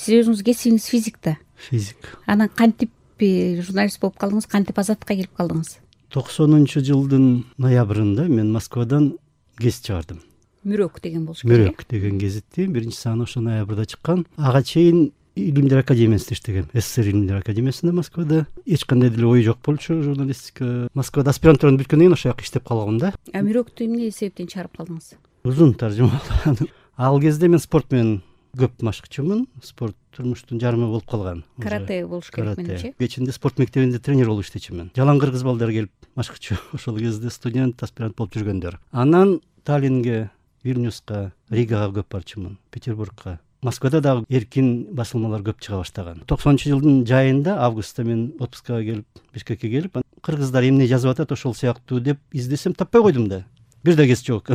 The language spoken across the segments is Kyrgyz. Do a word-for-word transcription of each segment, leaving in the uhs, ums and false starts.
Сиз өзүңүз кесибиңиз физик да. Физик. Анан кантип журналист болуп калдыңыз, кантип Азаттыкка келип калдыңыз? токсонунчу жылдын ноябрында мен Москвадан гезит чыгардым. Мүрөк деген болуш керек. Мүрөк деген гезитти биринчи саны ошо ноябрда чыккан. Ага чейин Илимдер академиясында иштегем. СССР Илимдер академиясында Москвада. Эч кандай деле ой жок болчу журналистика. Москвада аспирантураны бүткөндөн кийин ошол жака иштеп калгам да. А Мүрөктү эмне себептен чыгарып калдыңыз? Узун таржыма. Ал кезде мен спорт менен көп машыкчумун. Спорт турмуштун жарымы болуп калган. Карате болуш керек менимче. Кечинде спорт мектебинде тренер болуп иштечүмүн. Жалаң кыргыз балдар келип машыкчу. Ошол кезде студент, аспирант болуп жүргөндөр. Анан Таллинге, Вильнюска, Ригага көп барчумун, Петербургка. Москвада дагы эркин басылмалар көп чыга баштаган. токсонунчу жылдын жайында, августта мен отпускага келип, Бишкекке келип, кыргыздар эмне жазып атат ошол сыяктуу деп издесем таппай койдум да. Бир да гезит жок.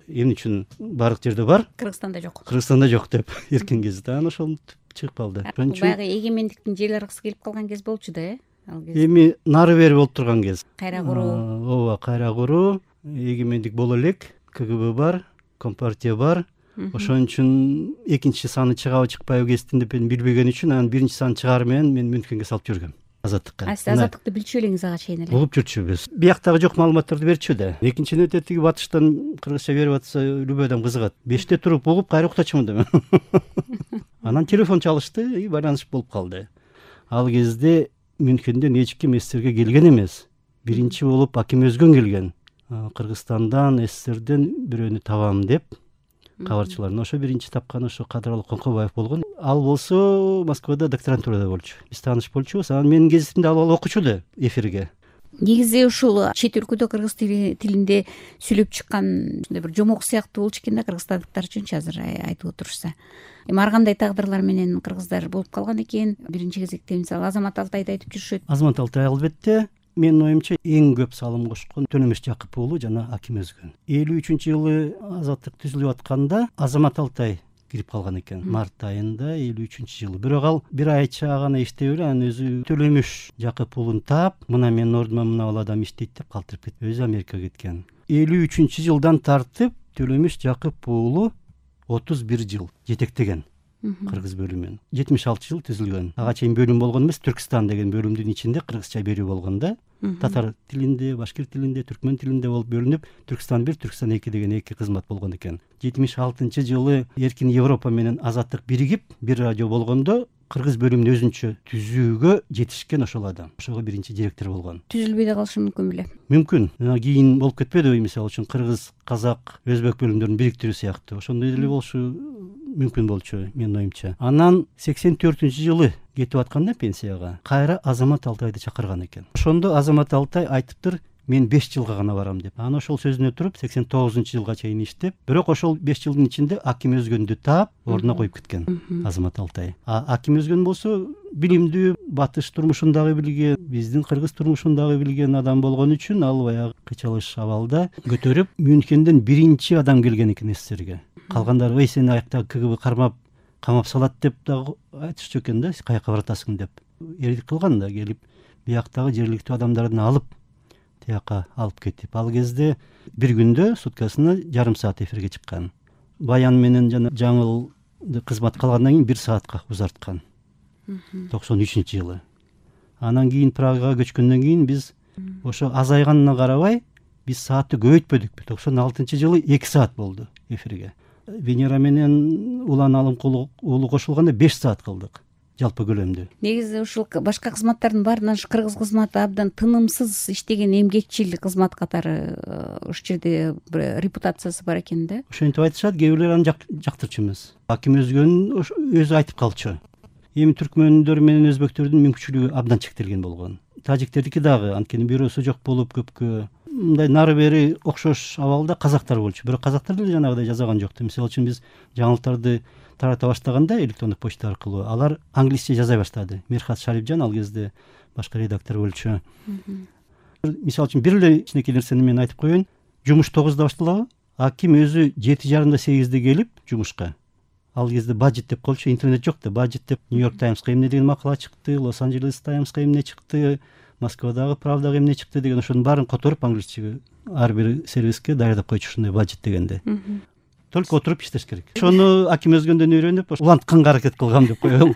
Эмне үчүн бардык жерде бар? Кыргызстанда жок. Кыргызстанда жок деп эркин гезит. Анан ошол чыгып калды. Баягы эгемендиктин жел аркысы келип калган кез болчу да, э? Ал кез. Эми нары бери болуп турган кез. Кайра куруу. Ооба, кайра куруу, эгемендик боло элек, КГБ бар, Компартия бар. Ошон үчүн экинчи саны чыгабы чыкпайбы гезиттин деп билбеген үчүн анан биринчи саны чыгаар менен мен Мюнхенге салып жүргөм. Азаттыкка. А сиз Азаттыкты билчү элеңиз ага чейин эле? Угуп жүрчүбүз. Бияктагы жок маалыматтарды берчү да. Экинчи нөтө тиги батыштан кыргызча берип атса любой адам кызыгат. Беште туруп угуп кайра уктачумун да мен. Анан телефон чалышты и байланыш болуп калды. Ал кезде Мюнхенден эч ким СССРге келген эмес. Биринчи болуп Аким Өзгөн келген. Кыргызстандан, СССРден бирөөнү табам деп кабарчыларына ошо биринчи тапкан ошо Кадыралы Коңкобаев болгон. Ал болсо Москвада докторантурада болчу. Биз тааныш болчубуз. Анан менин гезитимди алып алып окучу да эфирге. Негизи ушул чет өлкөдө кыргыз тилинде сүйлөп чыккан бир жомок сыяктуу болчу экен да кыргызстандыктар үчүнчү азыр айтып отурушса. Эми ар кандай тагдырлар менен кыргыздар болуп калган экен. Биринчи кезекте мисалы Азамат Алтайды айтып жүрүшөт. Азамат Алтай албетте менин оюмча эң көп салым кошкон Төнөмөш Жакып уулу жана Аким Өзгөн. элүү үчүнчү жылы Азаттык түзүлүп атканда Азамат Алтай кирип калган экен. Март айында элүү үчүнчү жылы. Бирок ал бир айча гана иштей эле анан өзү Төлөмүш Жакып уулун таап, мына менин ордума мына бул адам иштейт деп калтырып кетти. Өзү Америкага кеткен. элүү үчүнчү жылдан тартып Төлөмүш Жакып уулу отуз бир жыл жетектеген кыргыз бөлүмүн. жетимиш алты жыл түзүлгөн. Ага чейин бөлүм болгон эмес, Түркстан деген бөлүмдүн ичинде кыргызча берүү болгон да. Татар тилинде, башкир тилинде, түркмөн тилинде болуп бөлүнүп, Түркстан бир, Түркстан эки деген эки кызмат болгон экен. жетимиш алтынчы жылы Эркин Европа менен Азаттык биригип, бир радио болгондо кыргыз бөлүмүн өзүнчө түзүүгө жетишкен ошол адам. Ошого биринчи директор болгон. Түзүлбөй да калышы мүмкүн беле? Мүмкүн. Кийин болуп кетпедиби, мисалы үчүн кыргыз, казак, өзбек бөлүмдөрүн бириктирүү сыяктуу. Ошондой деле болушу мүмкүн болчу менин оюмча. Анан сексен төртүнчү жылы кетип атканда пенсияга кайра Азамат Алтайды чакырган экен. Ошондо Азамат Алтай айтыптыр, мен беш жылга гана барам деп. Анан ошол сөзүнө туруп сексен тогузунчу жылга чейин иштеп, бирок ошол беш жылдын ичинде Аким Өзгөндү таап, ордуна коюп кеткен Азамат Алтай. А Аким Өзгөн болсо билимдүү, батыш турмушун дагы билген, биздин кыргыз турмушун дагы билген адам болгон үчүн ал баягы кычалыш абалда көтөрүп Мюнхенден биринчи адам келген экен СССРге. Калгандары ой сени аяктагы КГБ кармап камап салат деп дагы айтышчу экен да, каяка баратасың деп. Эрдик кылган да, келип бияктагы жергиликтүү адамдарды алып тияка алып кетип. Ал кезде бир күндө суткасына жарым саат эфирге чыккан. Баян менен жана жаңыл кызмат калгандан кийин бир саатка узарткан. токсон үчүнчү жылы. Анан кийин Прагага көчкөндөн кийин биз ошо азайганына карабай биз саатты көбөйтпөдүк. токсон алтынчы жылы эки саат болду эфирге. Венера менен Улан Алымкулов уулу кошулганда беш саат кылдык жалпы көлөмдө. Негизи ушул башка кызматтардын баарынан кыргыз кызматы абдан тынымсыз иштеген эмгекчил кызмат катары ушул жерде бир репутациясы бар экен да. Ошентип айтышат, кээ бирлер аны жактырчу эмес. Аким Өзгөн өзү айтып калчу. Эми түркмөндөр менен өзбөктөрдүн мүмкүнчүлүгү абдан чектелген болгон. Тажиктердики дагы, анткени бирөөсү жок болуп көпкө мындай нары бери окшош абалда казактар болчу. Бирок казактар деле жанагыдай жазаган жок. Мисалы үчүн биз жаңылыктарды тарата баштаганда электрондук почта аркылуу алар англисче жаза баштады. Мирхат Шарипжан ал кезде башкы редактор болчу. Мисалы үчүн бир эле кичинекей нерсени мен айтып коеюн. Жумуш тогузда башталабы? Аким өзү жети жарымда сегизде келип жумушка. Ал кезде баджет деп коелчу, интернет жок да, баджет деп Нью-Йорк Таймска эмне деген макала чыкты, Лос-Анджелес Таймска эмне чыкты, Москвадагы Правдага эмне чыкты деген ошонун баарын которуп англисчеге ар бир сервиске даярдап койчу ушундай баджет дегенде. только отуруп иштеш керек. Ошону Аким Өзгөндөн үйрөнүп улантканга аракет кылгам деп коелу.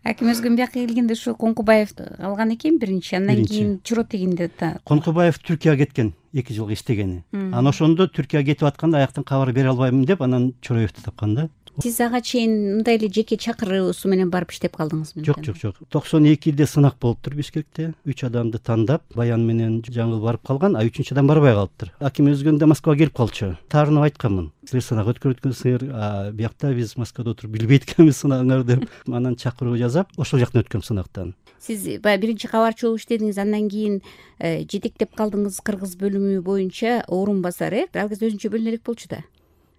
Аким Өзгөн бияка келгенде ушу Конкубаевди алган экен биринчи, андан кийин Чуротегинде. Конкубаев Түркияга кеткен, эки жылга иштегени. Анан ошондо Түркияга кетип атканда аяктан кабар бере албайм деп анан Чороевди тапкан да. Сиз ага чейин мындай эле жеке чакыруусу менен барып иштеп калдыңызбы? Жок, жок, жок. токсон экиде сынак болуптур Бишкекте. үч адамды тандап, Баян менен Жаңыл барып калган, а үчүнчү адам барбай калыптыр. Аким Өзгөндө Москвага келип калчу. Таарынып айтканмын. Силер сынак өткөрүп өткөнсүңөр, а биякта биз Москвада отуруп билбейт экенбиз сынагыңар деп. Анан чакыруу жасап, ошол жактан өткөм сынактан. Сиз баягы биринчи кабарчы болуп иштедиңиз, андан кийин жетектеп калдыңыз кыргыз бөлүмү боюнча орун басар, э? Ал кезде өзүнчө бөлүнө элек болчу да.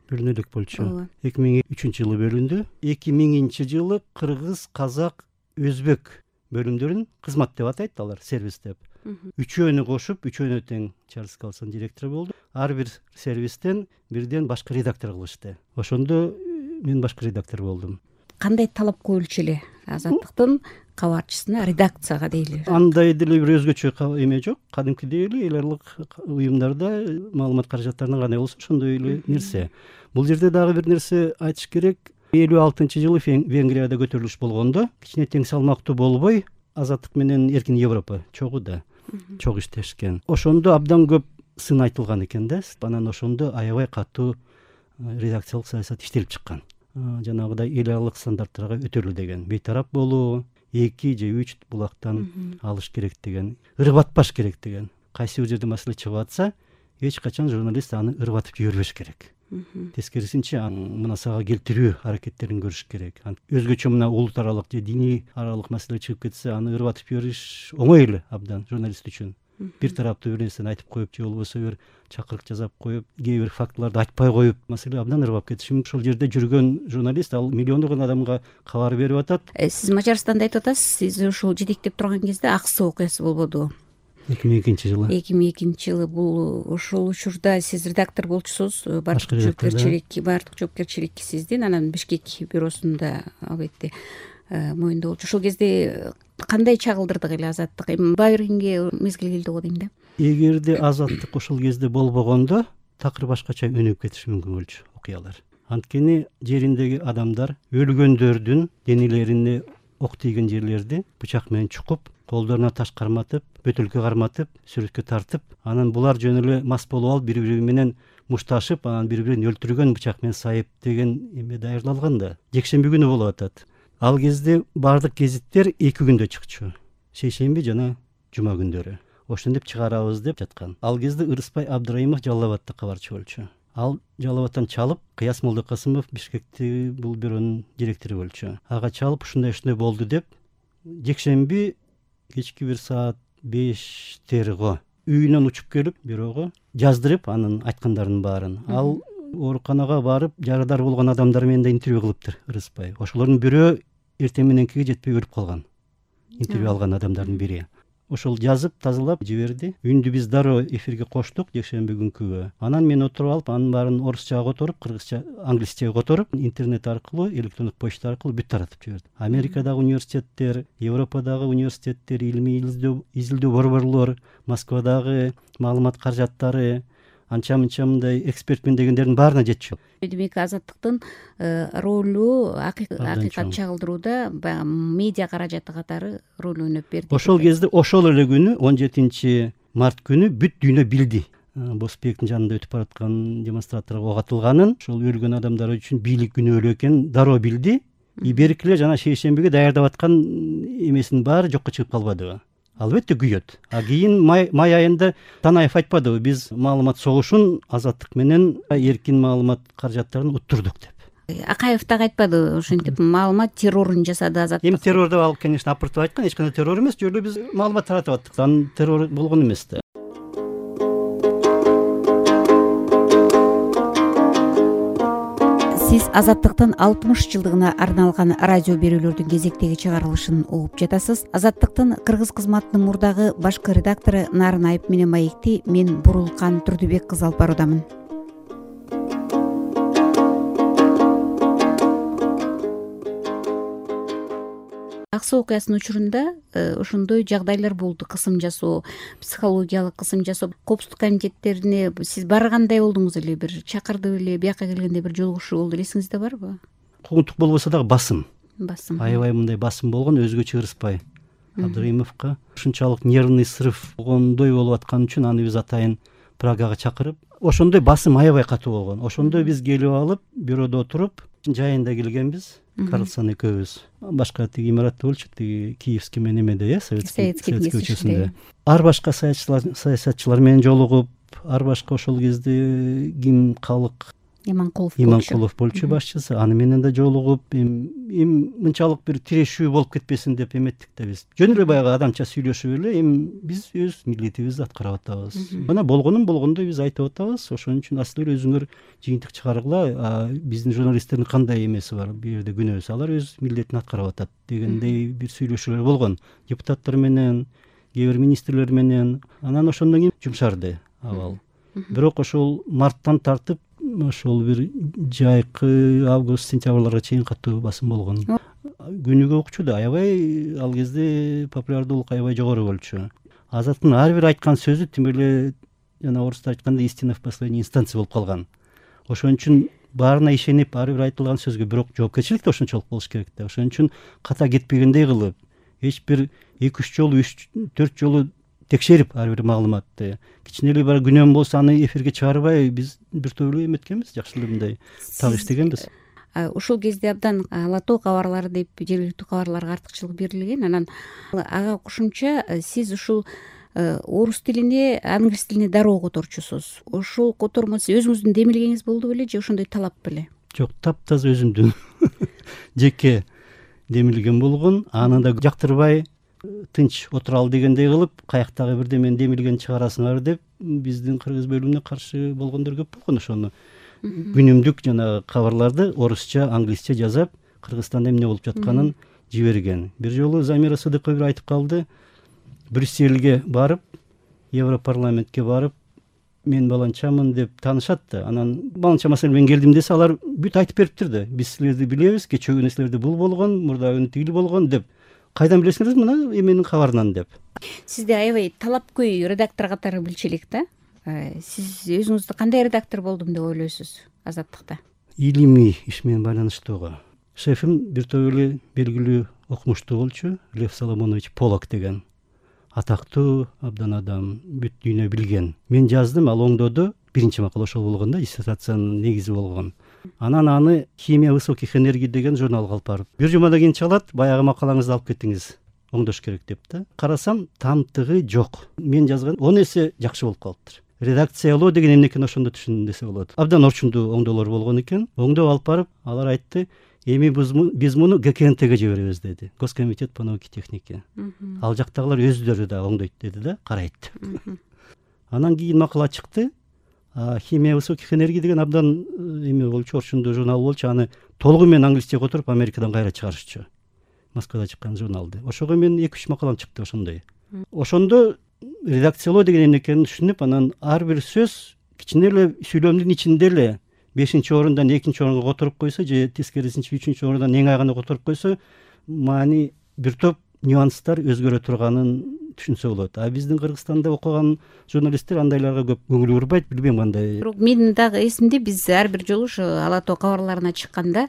Бөлүнө элек болчу. эки миң үчүнчү жылы бөлүндү. эки миңинчи жылы кыргыз, казак, өзбек бөлүмдөрүн кызмат деп атайт алар, сервис деп. Үчөөнү кошуп, үчөөнө тең Чарльз Калсон директор болду. Ар бир сервистен бирден башкы редактор кылышты. Ошондо мен башкы редактор болдум. Кандай талап коюлчу эле Азаттыктын кабарчысына, редакцияга дейли? Андай деле бир өзгөчө эме жок. Кадимкидей эле эл аралык уюмдарда маалымат каражаттарынан кандай болсо ошондой эле нерсе. Бул жерде дагы бир нерсе айтыш керек. элүү алтынчы жылы Венгрияда көтөрүлүш болгондо кичине тең салмактуу болбой, Азаттык менен Эркин Европа чогуу да чогуу иштешкен. Ошондо абдан көп сын айтылган экен да. Анан ошондо аябай катуу редакциялык саясат иштелип чыккан. Жанагыдай эл аралык стандарттарга өтөлүү деген, бейтарап болуу, эки же үч булактан алыш керек деген, ырбатпаш керек деген. Кайсы бир жерде маселе чыгып атса, эч качан журналист аны ырбатып жибербеш керек. Тескерисинче мына сага келтирүү аракеттерин көрүш керек. Өзгөчө мына улут аралык же диний аралык маселе чыгып кетсе, аны ырбатып жибериш оңой эле абдан журналист үчүн. Бир тараптуу бир нерсени айтып коюп же болбосо бир чакырык жасап коюп, кээ бир фактыларды айтпай коюп, маселе абдан ырбап кетиши мүмкүн. Ошол жерде жүргөн журналист ал миллиондогон адамга кабар берип атат. Сиз Мажарстанда айтып атасыз, сиз ушул жетектеп турган кезде ак суу окуясы болбодубу? эки миң экинчи жылы. эки миң экинчи жылы бул ошол учурда сиз редактор болчусуз, бардык жоопкерчилик, бардык жоопкерчилик сиздин, анан Бишкек бюросунда албетте моюнда болчу. Ошол кезде кандай чагылдырдык эле Азаттык? Эми баа бергенге мезгил келди го дейм да. Эгерде Азаттык ошол кезде болбогондо, такыр башкача өнүгүп кетиши мүмкүн болчу окуялар. Анткени жериндеги адамдар өлгөндөрдүн денелерине ок тийген жерлерди бычак менен чукуп, колдоруна таш карматып, бөтөлкө карматып, сүрөткө тартып, анан булар жөн эле мас болуп алып, бири-бири менен мушташып, анан бири-бирин өлтүргөн, бычак менен сайып деген эме даярдалган да. Жекшемби күнү болуп атат. Ал кезде бардык гезиттер эки күндө чыкчу. Шейшемби жана жума күндөрү. Ошентип чыгарабыз деп жаткан. Ал кезде Ырыспай Абдыраимов Жалал Абадта кабарчы болчу. Ал Жалал Абадтан чалып, Кыяс Молдокасымов Бишкекти бул бюронун директору болчу. Ага чалып, ушундай-ушундай болду деп, жекшемби кечки бир саат бештерго үйүнөн учуп келип, бюрого жаздырып, анын айткандарын баарын. Ал ооруканага барып, жарадар болгон адамдар менен да интервью кылыптыр Ырыспай. Ошолордун бирөө эртең мененкиге жетпей өлүп калган. Интервью алган адамдардын бири. Ошол жазып, тазалап жиберди. Үндү биз дароо эфирге коштук жекшемби күнкүгө. Анан мен отуруп алып, анын баарын орусчага которуп, кыргызча, англисчеге которуп, интернет аркылуу, электрондук почта аркылуу бүт таратып жибердим. Америкадагы университеттер, Европадагы университеттер, илимий изилдөө борборлор, Москвадагы маалымат каражаттары, анча-мынча мындай экспертмин дегендердин баарына жетчү. Демек Азаттыктын ролу акыйкат чагылдырууда баягы медиа каражаты катары роль ойноп берди. Ошол кезде, ошол эле күнү, он жетинчи март күнү бүт дүйнө билди. Босбектин жанында өтүп бараткан демонстраторго ок атылганын, ошол өлгөн адамдар үчүн бийлик күнөөлүү экенин дароо билди. И берки эле жана шейшембиге даярдап аткан эмесинин баары жокко чыгып калбадыбы? Албетте күйөт. А кийин май айында Танаев айтпадыбы, биз маалымат согушун Азаттык менен эркин маалымат каражаттарын уттурдук деп. Акаев так айтпады, ошентип маалымат террорун жасады Азаттык. Эми террор деп ал, конечно, апыртып айткан, эч кандай террор эмес, жөн эле биз маалымат таратып аттык. Анын террор болгон эмес да. Сиз Азаттыктын алтымыш жылдыгына арналган радио берүүлөрдүн кезектеги чыгарылышын угуп жатасыз. Азаттыктын кыргыз кызматынын мурдагы башкы редактору Нарын Айып менен маекти мен Бурулкан Турдубек кызы алып баруудамын. Аксы окуясынын учурунда ошондой жагдайлар болду, кысым жасоо, психологиялык кысым жасоо. Коопсуздук комитеттерине сиз баргандай болдуңуз эле, бир чакырды беле, бияка келгенде бир жолугушуу болду, эсиңизде барбы? Куугунтук болбосо дагы басым басым аябай мындай басым болгон, өзгөчө Ырыспай Абдыраимовго ушунчалык нервный срыв болгондой болуп аткан үчүн аны биз атайын Прагага чакырып, ошондой басым аябай катуу болгон. Ошондой биз келип алып, бюродо отуруп, жайында келгенбиз, Карлсон экөөбүз. Башка тиги имаратта болчу, тиги Киевский менен эмеде, э, советский көчөсүндө. Ар башка саясатчылар менен жолугуп, ар башка ошол кезде ким калык Иманкулов Иманкулов болчу башчысы, аны менен да жолугуп, эми мынчалык бир тирешүү болуп кетпесин деп эметтик да биз. Жөн эле баягы адамча сүйлөшүп эле, эми биз өз милдетибизди аткарып атабыз. Мына болгонун болгондой биз айтып атабыз. Ошон үчүн аслы эле өзүңөр жыйынтык чыгаргыла, биздин журналисттердин кандай эмеси бар, бул жерде күнөөсү, алар өз милдетин аткарып атат дегендей бир сүйлөшүүлөр болгон. Депутаттар менен, кээ бир министрлер менен, анан ошондон кийин жумшарды абал. Бирок ошол марттан тартып ошол бир жайкы август сентябрларга чейин катуу басым болгон. Күнүгө окчу да аябай, ал кезде популярдуулук аябай жогору болчу. Азаттын ар бир айткан сөзү тим эле жана орустар айтканда истина в последней инстанции болуп калган. Ошон үчүн баарына ишенип, ар бир айтылган сөзгө бирок жоопкерчилик да ошончолук болуш керек да. Ошон үчүн ката кетпегендей кылып, эч бир эки үч жолу, үч төрт жолу текшерип ар бир маалыматты, кичине эле бар күнөөм болсо аны эфирге чыгарбай биз бир топ эле эметкенбиз, жакшы эле мындай так иштегенбиз. Ошол кезде абдан ала тоо кабарлары деп жергиликтүү кабарларга артыкчылык берилген. Анан ага кошумча сиз ушул орус тилине, англис тилине дароо которчусуз. Ошол котормо сиз өзүңүздүн демилгеңиз болду беле же ошондой талап беле? Жок, таптаза өзүмдүн жеке демилгем болгон. Аны да жактырбай тынч отуралы дегендей кылып, каяктагы бирдемени демилген чыгарасыңар деп биздин кыргыз бөлүмүнө каршы болгондор көп болгон. Ошону күнүмдүк жана кабарларды орусча, англисче жазап, Кыргызстанда эмне болуп жатканын жиберген. Бир жолу Замира Сыдыкова айтып калды, Брюссельге барып, Европарламентке барып, мен баланчамын деп таанышат да. Анан баланча маселе менен келдим десе, алар бүт айтып бериптир да. Биз силерди билебиз, кечээ нерселерде бул болгон, мурда тигил болгон деп. Кайдан билесиңер мына эменин кабарынан деп. Сизде аябай талапкөй редактор катары билчилик да. Сиз өзүңүздү кандай редактор болдум деп ойлойсуз Азаттыкта? Илимий иш менен байланыштууга. Шефим бир топ эле белгилүү окумуштуу болчу, Лев Соломонович Полок деген. Атактуу абдан адам, бүт дүйнө билген. Мен жаздым, ал оңдоду. Биринчи макала ошол болгон да, диссертациянын негизи болгон. Анан аны Химия высоких энергий деген журналга алып барып, бир жумадан кийин чалат, баягы макалаңызды алып кеттиңиз, оңдош керек деп да. Карасам, тамтыгы жок. Мен жазган он эсе жакшы болуп калыптыр. Редакциялоо деген эмнекени ошондо түшүндүм десе болот. Абдан орчундуу оңдоолор болгон экен. Оңдоп алып барып, алар айтты, эми биз муну Гэ Ка Эн Тэге жиберебиз деди. Госкомитет по науке и технике. Ал жактагылар өздөрү да оңдойт деди да, карайт. Анан кийин макала чыкты. Химия высоких энергий деген абдан эме болчу, орчундуу журнал болчу. Аны толугу менен англисче которуп Америкадан кайра чыгарышчу. Москвада чыккан журналды. Ошого мен эки үч макалам чыкты ошондой. Ошондо редакциялоо деген эмнекени түшүнүп, анан ар бир сөз кичине эле сүйлөмдүн ичинде эле бешинчи орундан экинчи орунга которуп койсо же тескерисинче үчүнчү орундан эң айгана которуп койсо, маани бир топ нюанстар өзгөрө турганын түшүнсө болот. А биздин Кыргызстанда окуган журналисттер андайларга көп көңүл бурбайт, билбейм кандай. Бирок менин дагы эсимде, биз ар бир жолу ушу ала тоо кабарларына чыкканда,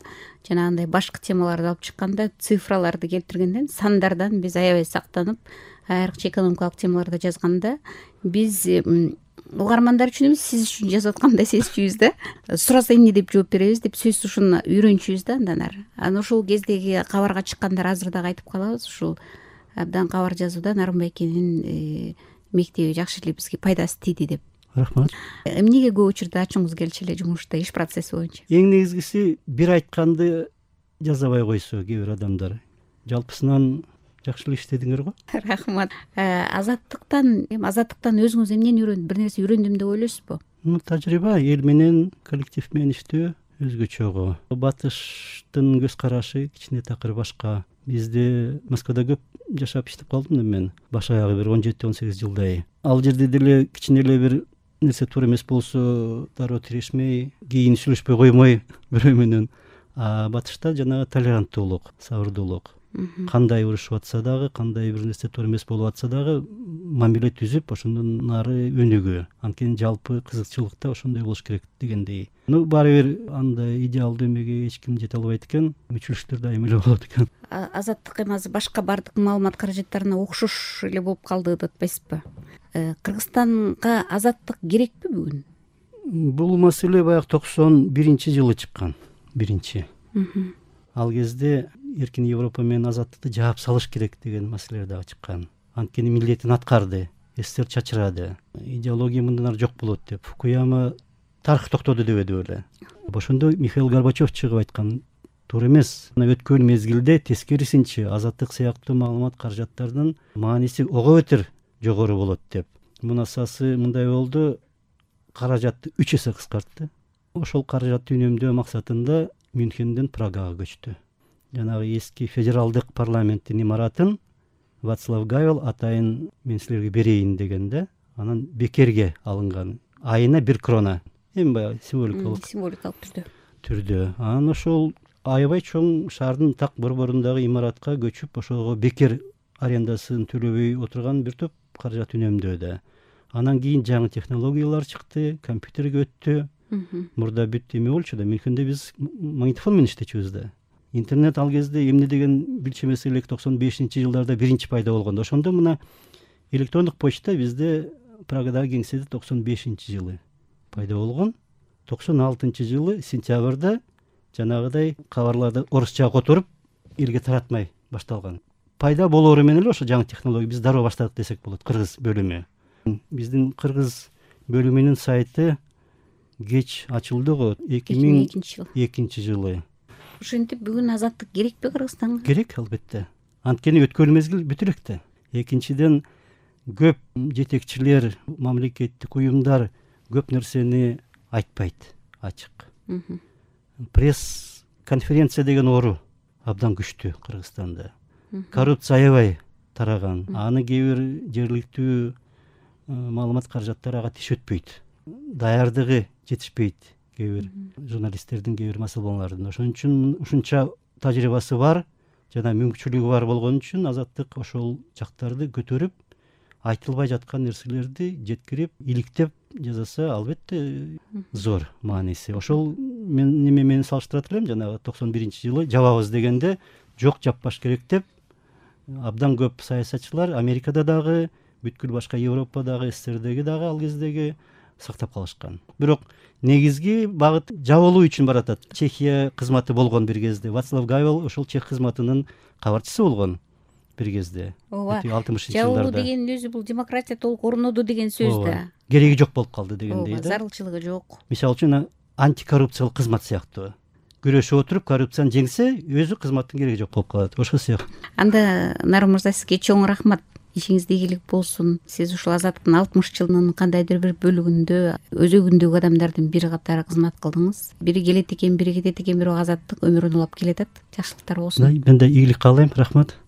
жанагындай башкы темаларды алып чыкканда, цифраларды келтиргенден, сандардан биз аябай сактанып, айрыкча экономикалык темаларда жазганда, биз угармандар үчүн эмес, сиз үчүн жазып аткандай сезчүбүз да. Сураса эмне деп жооп беребиз деп сөзсүз ушуну үйрөнчүбүз да андан ары. Анан ошол кездеги кабарга чыккандар азыр дагы айтып калабыз, ушул абдан кабар жазуудан Нарымбайкенин мектеби жакшы эле бизге пайдасы тийди деп. Рахмат. Эмнеге көп учурда ачууңуз келчү эле жумушта, иш процесси боюнча? Эң негизгиси бир айтканды жазабай койсо кээ бир адамдар. Жалпысынан жакшы эле иштедиңер го. Рахмат. Азаттыктан, эми азаттыктан өзүңүз эмнени үйрөндү, бир нерсе үйрөндүм деп ойлойсузбу? Тажрыйба, эл менен, коллектив менен иштөө өзгөчө го. Батыштын көз карашы кичине такыр башка. Бизде Москвада көп жашап иштеп калдым мен. Баш аягы бир он жети он сегиз жылдай. Ал жерде деле кичине эле бир нерсе туура эмес болсо, дароо тирешмей, кийин сүйлөшпөй коймой бирөө менен. А батышта жанагы толеранттуулук, сабырдуулук. кандай урушуп атса дагы, кандай бир нерсе туура эмес болуп атса дагы мамиле түзүп ошондон нары өнүгүү. Анткени жалпы кызыкчылык да ошондой болуш керек дегендей. Ну баары бир андай идеалдуу эмеге эч ким жете албайт экен, мүчүлүштөр дайыма эле болот экен. Азаттык эми азыр башка баардык маалымат каражаттарына окшош эле болуп калды деп атпайсызбы? Кыргызстанга азаттык керекпи бүгүн? Бул маселе баягы токсон биринчи жылы чыккан. Биринчи. Ал кезде эркин Европа менен азаттыкты жаап салыш керек деген маселелер дагы чыккан. Анткени милдетин аткарды, СССР чачырады, идеология мындан ары жок болот деп. Фукуяма тарых токтоду дебеди беле. Ошондо Михаил Горбачев чыгып айткан, туура эмес. Өткөн мезгилде тескерисинче азаттык сыяктуу маалымат каражаттардын мааниси ого бетер жогору болот деп. Мунасасы мындай болду, каражатты үч эсе кыскартты. Ошол каражатты үнөмдөө максатында Мюнхенден Прагага көчтү. Жанагы эски федералдык парламенттин имаратын Вацлав Гавел атайын мен силерге берейин дегенде, анан бекерге алынган. Айына бир крона. Эми баягы символикалык символикалык түрдө. Түрдө. Анан ошол аябай чоң шаардын так борборундагы имаратка көчүп, ошого бекер арендасын төлөбөй отурган бир топ каражат үнөмдөөдө. Анан кийин жаңы технологиялар чыкты, компьютерге өттү. Мурда бүт эме болчу да, Мюнхенде биз магнитофон менен иштечүбүз да. Интернет ал кезде эмне деген билчү эмес элек токсон бешинчи жылдарда биринчи пайда болгондо. Ошондо мына электрондук почта бизде Прагадагы кеңседе токсон бешинчи жылы пайда болгон. токсон алтынчы жылы сентябрда жанагыдай кабарларды орусча которуп элге таратмай башталган. Пайда болоору менен эле ошо жаңы технология биз дароо баштадык десек болот. Кыргыз бөлүмү. Биздин кыргыз бөлүмүнүн сайты кеч ачылды го эки миң экинчи жылы. Ошентип бүгүн азаттык керекпи Кыргызстанга? Керек, албетте. Анткени өткөн мезгил бүтө элек да. Экинчиден көп жетекчилер, мамлекеттик уюмдар көп нерсени айтпайт, ачык. Пресс конференция деген оору абдан күчтүү Кыргызстанда. Коррупция аябай тараган. Аны кээ бир жергиликтүү маалымат каражаттары ага тиш өтпөйт. Даярдыгы жетишпейт кээ бир журналисттердин кээ бир маселелеринде. Ошон үчүн ушунча тажрыйбасы бар жана мүмкүнчүлүгү бар болгон үчүн азаттык ошол жактарды көтөрүп, айтылбай жаткан нерселерди жеткирип, иликтеп жазаса, албетте зор мааниси. Ошол мен неме менен салыштырат элем, жанагы токсон биринчи жылы жабабыз дегенде жок жаппаш керек деп абдан көп саясатчылар Америкада дагы, бүткүл башка Европадагы, СССРдеги дагы ал кездеги сактап калышкан. Бирок негизги багыт жабылуу үчүн баратат. Чехия кызматы болгон бир кезде. Вацлав Гавел ошол чех кызматынын кабарчысы болгон бир кезде. алтымышынчы жылдарда. Жабылуу деген өзү бул демократия толук орноду деген сөз да. Кереги жок болуп калды дегендей да. Зарылчылыгы жок. Мисалы үчүн антикоррупциялык кызмат сыяктуу. Күрөшүп отуруп коррупцияны жеңсе, өзү кызматтын кереги жок болуп калат. Ошол сыяктуу. Анда Нарым мырза, сизге чоң рахмат. Ишиңизде ийгилик болсун. Сиз ушул азаттыктын алтымыш жылынын кандайдыр бир бөлүгүндө өзөгүндөгү адамдардын бири катары кызмат кылдыңыз. Бири келет экен, бири кетет экен, бирок азаттык өмүрүн улап келатат. Жакшылыктар болсун. Мен да ийгилик каалайм. Рахмат.